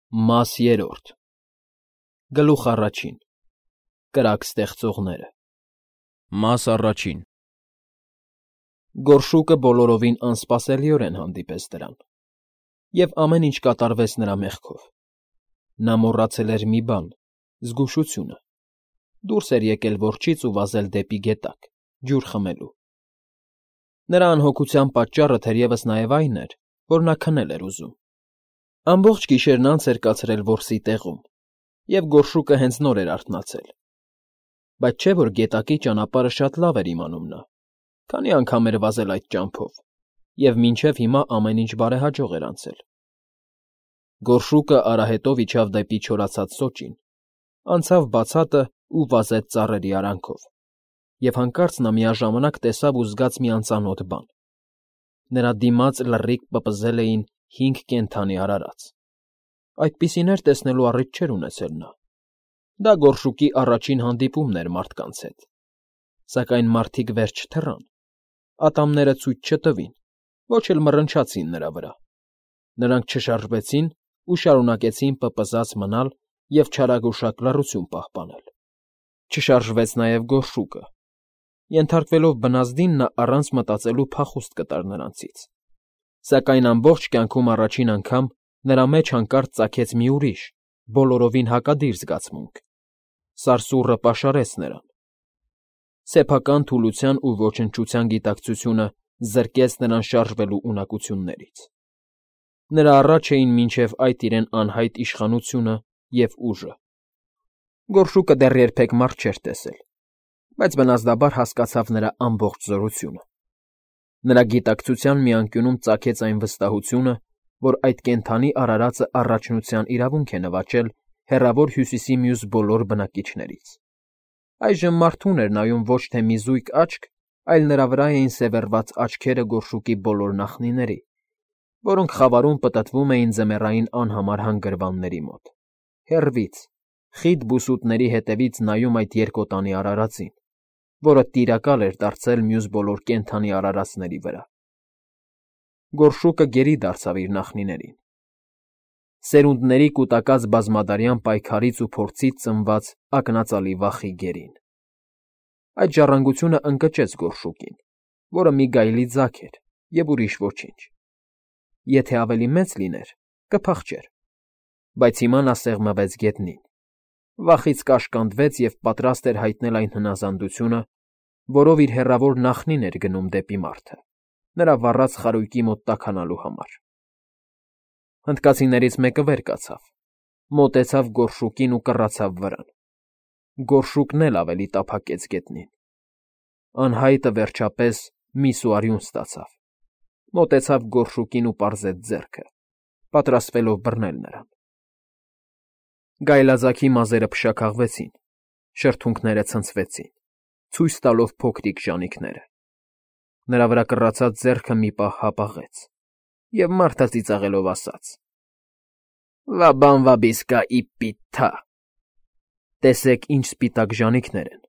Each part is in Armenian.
Մաս երրորդ Գլուխ առաջին Կրակ ստեղծողները Մաս առաջին Գորշուկը բոլորովին անսպասելիորեն հանդիպեց դրան, և ամեն ինչ կատարվեց նրա մեղքով. նա մոռացել էր մի բան՝ զգուշությունը, դուրս էր եկել որջից ու վազել դեպի գետակ, ջուր խմելու։ Նրա անհոգության պատճառը թերևս նաև այն էր, որ նա քնել էր ուզում։ Ամբողջ գիշերն անց էր կացրել որսի տեղում, և գորշուկը հենց նոր էր արթնացել։ Բայց չէ՞ որ գետակի ճանապարհը շատ լավ էր իմանում նա, քանի անգամ էր վազել այդ ճամփով, և մինչև հիմա ամեն ինչ բարեհաջող էր անցել։ Գորշուկը արահետով իջավ դեպի չորացած սոճին, անցավ բացատն ու վազեց ծառերի արանքով, և հանկարծ նա միաժամանակ տեսավ ու զգաց մի անծանոթ բան. նրա դիմաց լռիկ պպզել էին 5 կենդանի արարած։ Այդպիսիներ տեսնելու առիթ չէր ունեցել նա։ Դա գորշուկի առաջին հանդիպումն էր մարդկանց հետ։ Սակայն մարդիկ վեր չթռան, ատամները ցույց չտվին, ոչ էլ մռնչացին նրա վրա։ Նրանք չշարժվեցին ու շարունակեցին պպզած մնալ և չարագուշակ լռություն պահպանել։ Չշարժվեց նաև գորշուկը։ Ենթարկվելով բնազդին, նա առանց մտածելու փախուստ կտար նրանցից։ Սակայն ամբողջ կյանքում առաջին անգամ նրա մեջ հանկարծ ծագեց մի ուրիշ, բոլորովին հակադիր զգացմունք։ Սարսուռը պաշարեց նրան։ Սեփական թուլության ու ոչնչության գիտակցությունը զրկեց նրան շարժվելու ունակություններից։ Նրա առաջ էին մինչև այդ իրեն անհայտ իշխանությունը և ուժը։ Գորշուկը դեռ երբեք մարդ չէր տեսել, բայց բնազդաբար հասկացավ նրա ամբողջ զորությունը։ Նրա գիտակցության մի անկյունում ծագեց այն վստահությունը, որ այդ կենդանի արարածը առաջնության իրավունք է նվաճել հեռավոր Հյուսիսի մյուս բոլոր բնակիչներից։ Այժմ մարդուն էր նայում ոչ թե մի զույգ աչք, այլ նրա վրա էին սևեռված աչքերը գորշուկի բոլոր նախնիների, որոնք խավարում պտտվում էին ձմեռային անհամար հանգրվանների մոտ, հեռվից, խիտ բուսուտների հետևից նայում այդ երկոտանի արարածին, որը տիրակալ էր դարձել մյուս բոլոր կենդանի արարածների վրա։ Գորշուկը գերի դարձավ իր նախնիներին։ Սերունդների կուտակած բազմադարյան պայքարից ու փորձից ծնված ակնածալի վախի գերին։ Այդ ժառանգությունը ընկճեց գորշուկին, որը մի գայլի ձագ էր և ուրիշ ոչինչ։ Եթե ավելի մեծ լիներ, կփախչեր, բայց հիմա նա սեղմվեց գետնին, վախից կաշկանդվեց և պատրաստ էր հայտնել այն հնազանդությունը, որով իր հեռավոր նախնին էր գնում դեպի մարդը, նրա վառած խարույկի մոտ տաքանալու համար։ Հնդկացիներից մեկը վեր կացավ, մոտեցավ գորշուկին ու կռացավ վրան։ Գորշուկն էլ ավելի տափակեց գետնին։ Անհայտը, վերջապես, մի սուարյուն ստացավ, մոտեցավ գորշուկին ու պարզեց ձեռքը, պատրաստվելով բռնել նրան։ Գայլաձագի մազերը փշաքաղվեցին, շրթունքները ցնցվեցին, ցույց տալով փոքրիկ ժանիքները։ Նրա վրա կռացած ձեռքը մի պահ հապաղեց, և մարդը ծիծաղելով ասաց. «Վաբան վաբիսկա իպիթա» տեսեք, ինչ սպիտակ ժանիքներ են։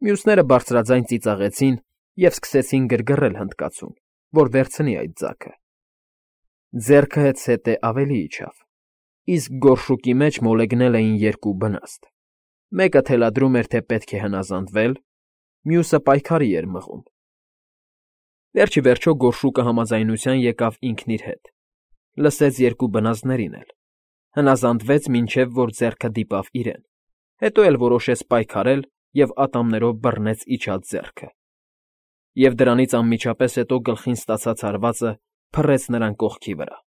Մյուսները բարձրաձայն ծիծաղեցին և սկսեցին գրգռել հնդկացուն, որ վերցնի այդ ձագը։ Ձեռքը հետզհետե ավելի իջավ, իսկ գորշուկի մեջ մոլեգնել էին երկու բնաստ. մեկը թելադրում էր, թե պետք է հնազանդվել, մյուսը պայքարի էր մղում։ Վերջ ի վերջո գորշուկը համաձայնության եկավ ինքն իր հետ, լսեց երկու բնազդներին էլ, հնազանդվեց, մինչև որ ձեռքը դիպավ իրեն, հետո էլ որոշեց պայքարել և ատամներով բռնեց իջած ձեռքը։ Եվ դրանից անմիջապես հետո գլխին ստացած հարվածը փռեց նրան կողքի վրա։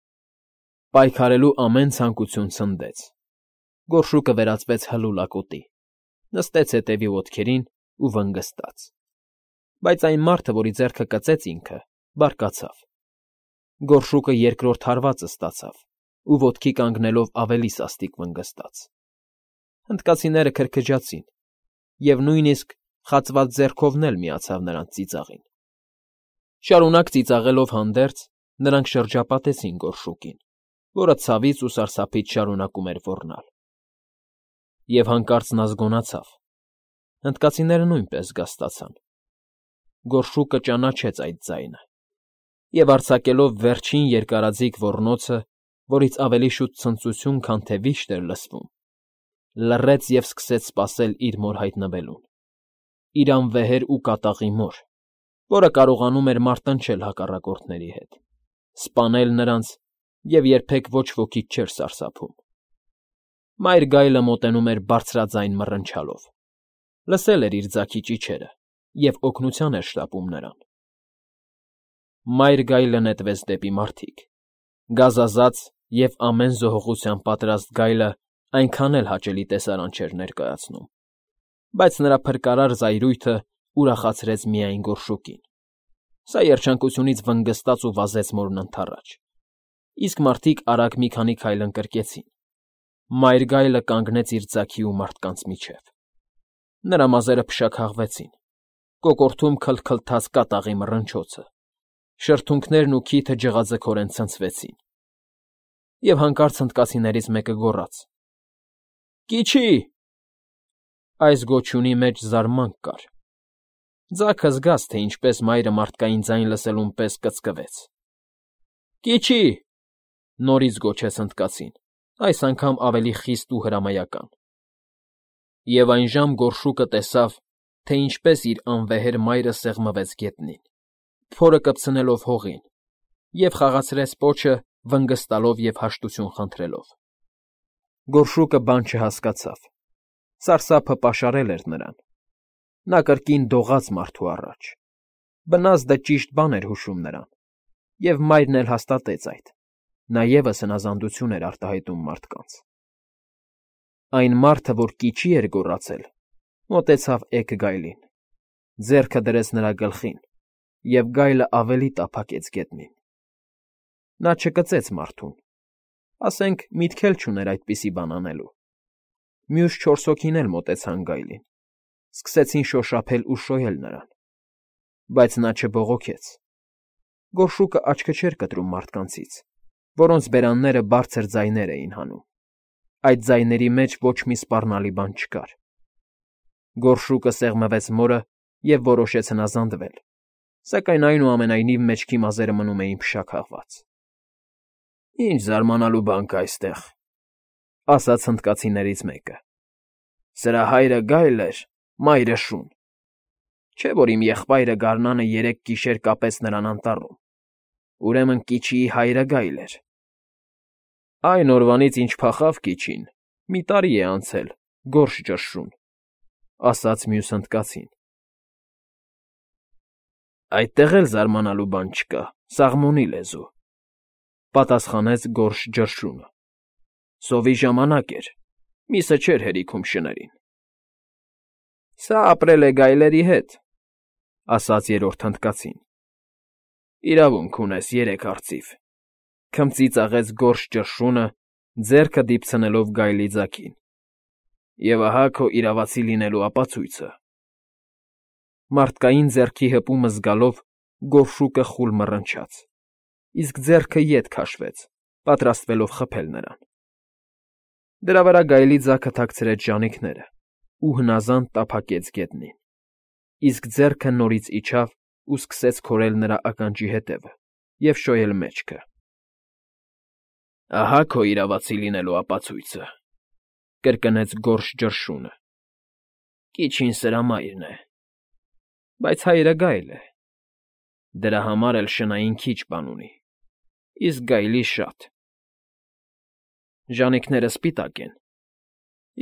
Պայքարելու ամեն ցանկություն ցնդեց։ Գորշուկը վերածվեց հլուլակոտի, նստեց հետևի ոտքերին ու վնգստաց։ Բայց այն մարդը, որի ձեռքը կծեց ինքը, բարկացավ։ Գորշուկը երկրորդ հարվածը ստացավ ու ոտքի կանգնելով ավելի սաստիկ վնգստաց։ Հնդկացիները քրքջացին, և նույնիսկ խացված ձեռքովն էլ միացավ նրանց ծիծաղին։ Շարունակ ծիծաղելով հանդերձ, նրանք շրջապատեցին գորշուկին, որը ցավից ու սարսափից շարունակում էր ոռնալ։ Եվ հանկարծ նա զգոնացավ։ Հնդկացիները նույնպես զգաստացան։ Գորշուկը ճանաչեց այդ ձայնը, և արձակելով վերջին երկարաձիգ ոռնոցը, որից ավելի շուտ ցնծություն, քան թե վիշտ էր լսվում, լռեց և սկսեց սպասել իր մոր հայտնվելուն, իր անվեհեր ու կատաղի մոր, որը կարողանում էր մարտնչել հակառակորդների հետ, սպանել նրանց և երբեք ոչ ոքից չէր սարսափում։ Մայր գայլը մոտենում էր բարձրաձայն մռնչալով, լսել էր իր ձագի ճիչերը և օգնության էր շտապում նրան։ Մայր գայլը նետվեց դեպի մարդիկ, գազազած և ամեն զոհողության պատրաստ գայլը այնքան էլ հաճելի տեսարան չէր ներկայացնում, բայց նրա փրկարար զայրույթը ուրախացրեց միայն գորշուկին։ Սա երջանկությունից վնգստաց ու վազեց մորն ընդառաջ, իսկ մարդիկ արագ մի քանի քայլ ընկրկեցին։ Մայր գայլը կանգնեց իր ձագի ու մարդկանց միջև։ Նրա մազերը փշաքաղվեցին, կոկորդում քլթքլթաց կատաղի մռնչոցը, շրթունքներն ու քիթը ջղաձգորեն ցնցվեցին։ Եվ հանկարծ հնդկացիներից մեկը գոռաց. «Կիչի»։ Այս գոչյունի մեջ զարմանք կար։ Ձագը զգաց, թե ինչպես մայրը մարդկային ձայն լսելուն պես կծկվեց։ «Կիչի»։ Նորից գոչեց հնդկացին, այս անգամ ավելի խիստ ու հրամայական։ Եվ այնժամ գորշուկը տեսավ, թե ինչպես իր անվեհեր մայրը սեղմվեց գետնին, փորը կպցնելով հողին, և խաղացրեց պոչը, վնգստալով և հաշտություն խնդրելով։ Գորշուկը բան չհասկացավ, սարսափը պաշարել էր նրան։ Նա կրկին դողաց մարդու առաջ։ Բնազդը ճիշտ բան էր հուշում նրան, և մայրն էլ հաստատեց այդ, նա ևս հնազանդություն էր արտահայտում մարդկանց։ Այն մարդը, որ կիչի էր գոռացել, մոտեցավ էգ գայլին, ձեռքը դրեց նրա գլխին, և գայլը ավելի տափակեց գետնին։ Նա չկծեց մարդուն, ասենք միտք էլ չուներ այդպիսի բան անելու։ Մյուս չորս հոգին էլ մոտեցան գայլին, սկսեցին շոշափել ու շոյել նրան, բայց նա չբողոքեց։ Գորշուկը աչքը չէր կտրում մարդկանցից, որոնց բերանները բարձր ձայներ էին հանում։ Այդ ձայների մեջ ոչ մի սպառնալի բան չկար։ Գորշուկը սեղմվեց մորը և որոշեց հնազանդվել, սակայն այնուամենայնիվ մեջքի մազերը մնում էին փշաքաղված։ «Ինչ զարմանալու բան կա այստեղ», ֊ ասաց հնդկացիներից մեկը։ «Սրա հայրը գայլ էր, մայրը՝ շուն։ Չէ՞ որ իմ եղբայրը գարնանը 3 գիշեր կապեց նրան անտառում, ուրեմն Կիչիի հայրը գայլ էր»։ «Այն օրվանից, ինչ փախավ Կիչին, մի տարի է անցել, գորշ ճշշուն», ֊ ասաց մյուս հնդկացին։ «Այդտեղ էլ զարմանալու բան չկա, սաղմոնի լեզու», ֊ պատասխանեց գորշ ճշշունը։ «Սովի ժամանակ էր, միսը չէր հերիքում շներին»։ «Սա ապրել է գայլերի հետ», ֊ ասաց երրորդ հնդկացին։ «Իրավունք ունես, 3 արծիվ», ֊ քմծիծաղեց գորշ ճշշունը, ձեռքը դիպցնելով գայլի ձագին։ «Եվ ահա քո իրավացի լինելու ապացույցը»։ Մարդկային ձեռքի հպումը զգալով գորշուկը խուլ մռնչաց, իսկ ձեռքը ետ քաշվեց, պատրաստվելով խփել նրան։ Դրա վրա գայլի ձագը թաքցրեց ժանիքները ու հնազանդ տափակեց գետնին, իսկ ձեռքը նորից իջավ ու սկսեց քորել նրա ականջի ետևը և շոյել մեջքը։ «Ահա քո իրավացի լինելու ապացույցը», ֊ կրկնեց գորշ ճշշունը։ «Կիչին սրա մայրն է, բայց հայրը գայլ է։ Դրա համար էլ շնային քիչ բան ունի, իսկ գայլի շատ։ Ժանիքները սպիտակ են,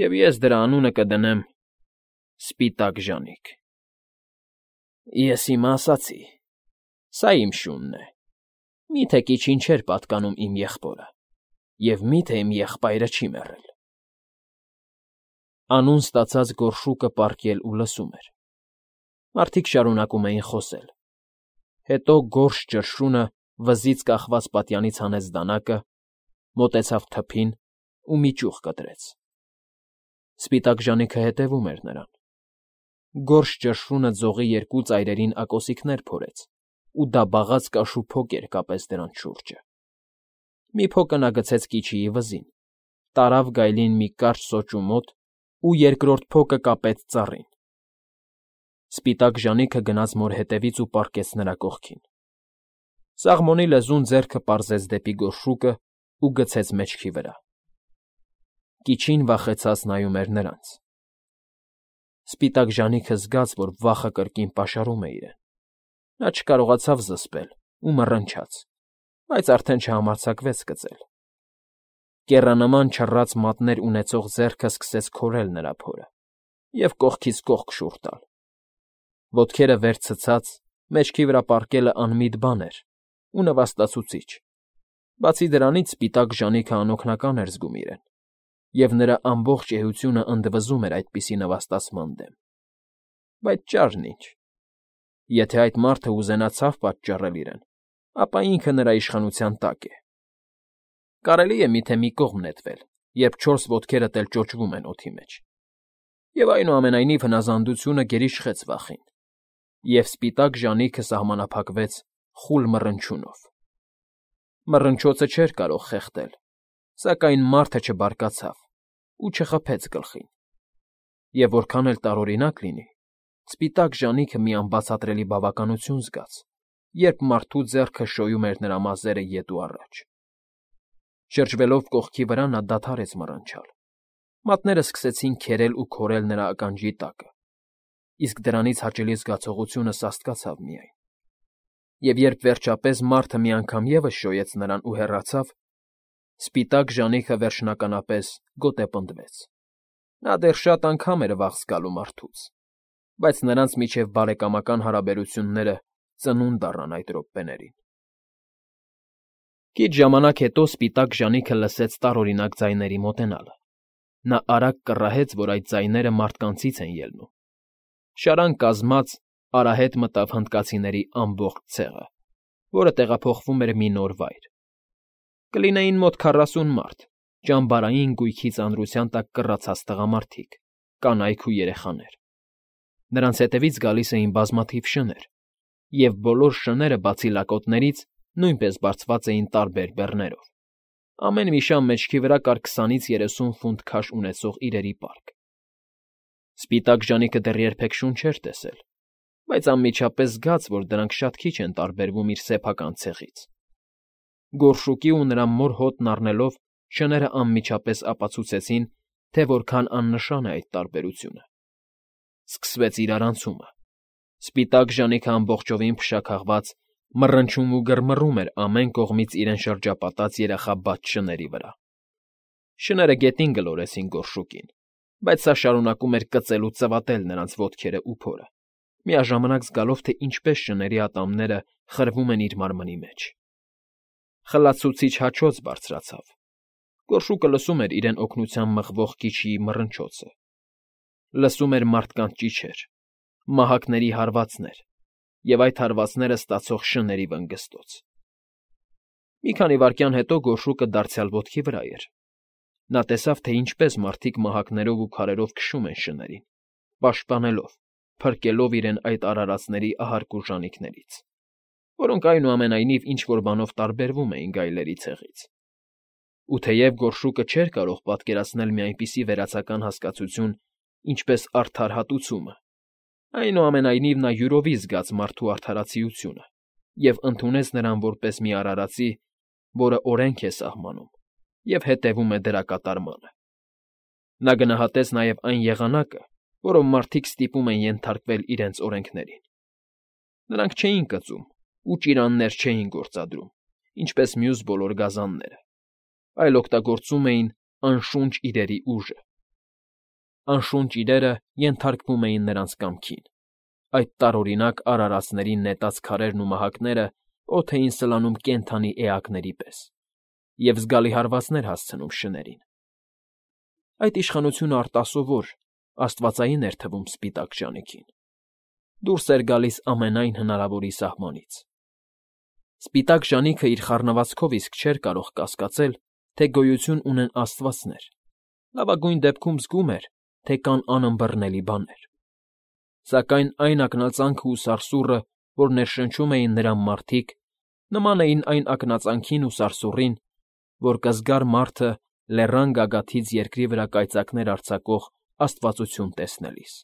և ես դրա անունը կդնեմ Սպիտակ ժանիք։ Ես հիմա ասացի, սա իմ շունն է, մի՞թե Կիչին չէր պատկանում իմ եղբորը, և մի՞թե իմ եղբայրը չի մեռել»։ Անուն ստացած գորշուկը պառկել ու լսում էր։ Մարդիկ շարունակում էին խոսել։ Հետո գորշ ճշշունը վզից կախված պատյանից հանեց դանակը, մոտեցավ թփին ու մի ճյուղ կտրեց։ Սպիտակ ժանիքը հետևում էր նրան։ Գորշ ճշշունը ձողի 2 ծայրերին ակոսիկներ փորեց ու դաբաղած կաշու փոկեր կապեց դրանց շուրջը։ Մի փոկը նա գցեց Կիչիի վզին, տարավ գայլին մի կարճ սոճու մոտ ու երկրորդ փոկը կապեց ծառին։ Սպիտակ ժանիքը գնաց մոր հետևից ու պառկեց նրա կողքին։ Սաղմոնի լեզուն ձեռքը պարզեց դեպի գորշուկը ու գցեց մեջքի վրա։ Կիչին վախեցած նայում էր նրանց։ Սպիտակ ժանիքը զգաց, որ վախը կրկին պաշարում է իրեն։ Նա չկարողացավ զսպել ու մռնչաց, բայց արդեն չհամարձակվեց կծել։ Կեռանման չռած մատներ ունեցող ձեռքը սկսեց քորել նրա փորը և կողքից կողք շուռ տալ։ Ոտքերը վեր ցցած, մեջքի վրա պառկելը անմիտ բան էր ու նվաստացուցիչ։ Բացի դրանից սպիտակ ժանիքը անօգնական էր զգում իրեն, և նրա ամբողջ էությունը ընդվզում էր այդպիսի նվաստացման դեմ։ Բայց ճարն ինչ։ Եթե այդ մարդը ուզենա ցավ պատճառել իրեն, ապա ինքը նրա իշխանության տակ է։ Կարելի է միթե մի կողմ նետվել, երբ չորս ոտքերդ էլ ճոճվում են օդի մեջ։ Եվ այնուամենայնիվ հնազանդությունը գերիշխեց վախին, և սպիտակ ժանիքը սահմանափակվեց խուլ մռնչյունով։ Մռնչոցը չէր կարող խեղդել, սակայն մարդը չբարկացավ ու չխփեց գլխին։ Եվ որքան էլ տարօրինակ լինի, սպիտակ ժանիքը մի անբացատրելի բավականություն զգաց, երբ մարդու ձեռքը շոյում էր նրա մազերը ետ ու առաջ։ Շրջվելով կողքի վրա նա դադարեց մռնչալ։ Մատները սկսեցին քերել ու քորել նրա ականջի տակը, իսկ դրանից հաճելի զգացողությունը սաստկացավ միայն։ Եվ երբ վերջապես մարդը մի անգամ ևս շոյեց նրան ու հեռացավ, սպիտակ ժանիքը վերջնականապես գոտեպնդվեց։ Նա դեռ շատ անգամ էր վախ զգալու մարդուց, բայց նրանց միջև բարեկամական հարաբերությունները ծնունդ առան այդ րոպեներին։ Քիչ ժամանակ հետո սպիտակ ժանիքը լսեց տարօրինակ ձայների մոտենալը։ Նա արագ կռահեց, որ այդ ձայները մարդկանցից են ելնում։ Շարան կազմած արահետ մտավ հնդկացիների ամբողջ ցեղը, որը տեղափոխվում էր մի նոր վայր։ Կլինեին մոտ 40 մարդ, ճամբարային գույքի ծանրության տակ կռացած տղամարդիկ, կանայք ու երեխաներ։ Նրանց հետևից գալիս էին բազմաթիվ շներ, և բոլոր շները, բացի լակոտներից, նույնպես բարձված էին տարբեր բեռներով։ Ամեն մի շան մեջքի վրա կար 20-ից 30 ֆունտ քաշ ունեցող իրերի պարկ։ Սպիտակ ժանիքը դեռ երբեք շուն չէր տեսել, բայց անմիջապես զգաց, որ դրանք շատ քիչ են տարբերվում իր սեփական ցեղից։ Գորշուկի ու նրա մոր հոտն առնելով շները անմիջապես ապացուցեցին, թե որքան աննշան է այդ տարբերությունը։ Սկսվեց իրարանցումը։ Սպիտակ ժանիքը ամբողջովին փշաքաղված մռնչում ու գրմռում էր ամեն կողմից իրեն շրջապատած երախաբաց շների վրա։ Շները գետին գլորեցին գորշուկին, բայց սա շարունակում էր կծել ու ծվատել նրանց ոտքերը ու փորը, միաժամանակ զգալով, թե ինչպես շների ատամները խրվում են իր մարմնի մեջ։ Խլացուցիչ հաչոց բարձրացավ։ Գորշուկը լսում էր իրեն օգնության մղվող կիչիի մռնչոցը։ Լսում էր մարդկանց ճիչեր, մահակների հարվածներ և այդ հարվածները ստացող շների վնգստոց։ Մի քանի վայրկյան հետո գորշուկը դարձյալ ոտքի վրա էր։ Նա տեսավ, թե ինչպես մարդիկ մահակներով ու քարերով քշում են շներին, պաշտպանելով, փրկելով իրեն այդ արարածների ահարկու ժանիքներից, որոնք այնուամենայնիվ ինչ֊որ բանով տարբերվում էին գայլերի ցեղից։ Ու թեև գորշուկը չէր կարող պատկերացնել մի այնպիսի վերացական հասկացություն, ինչպես արդար հատուցումը, այնուամենայնիվ նա յուրովի զգաց մարդու արդարացիությունը և ընդունեց նրան որպես մի արարածի, որը օրենք է սահմանում և հետևում է դրա կատարմանը։ Նա գնահատեց նաև այն եղանակը, որով մարդիկ ստիպում են ենթարկվել իրենց օրենքներին։ Նրանք չէին կծում ու ճիրաններ չէին գործադրում, ինչպես մյուս բոլոր գազանները, այլ օգտագործում էին անշունչ իրերի ուժը։ Անշունչ իրերը ենթարկվում էին նրանց կամքին։ Այդ տարօրինակ արարածների նետած քարերն ու մահակները օդ էին սլանում կենդանի էակների պես և զգալի հարվածներ հասցնում շներին։ Այդ իշխանությունը արտասովոր, աստվածային էր թվում սպիտակ ժանիքին։ Դուրս էր գալիս ամենայն հնարավորի սահմանից։ Սպիտակ ժանիքը իր խառնվածքով իսկ չէր կարող կասկածել, թե գոյություն ունեն աստվածներ, լավագույն դեպքում զգում էր, թե կան անըմբռնելի բաներ։ Սակայն այն ակնածանքն ու սարսուռը, որ ներշնչում էին նրան մարդիկ, նման էին այն ակնածանքին ու սարսուռին, որ կզգար մարդը լեռան գագաթից երկրի վրա կայծակներ արձակող աստվածություն տեսնելիս։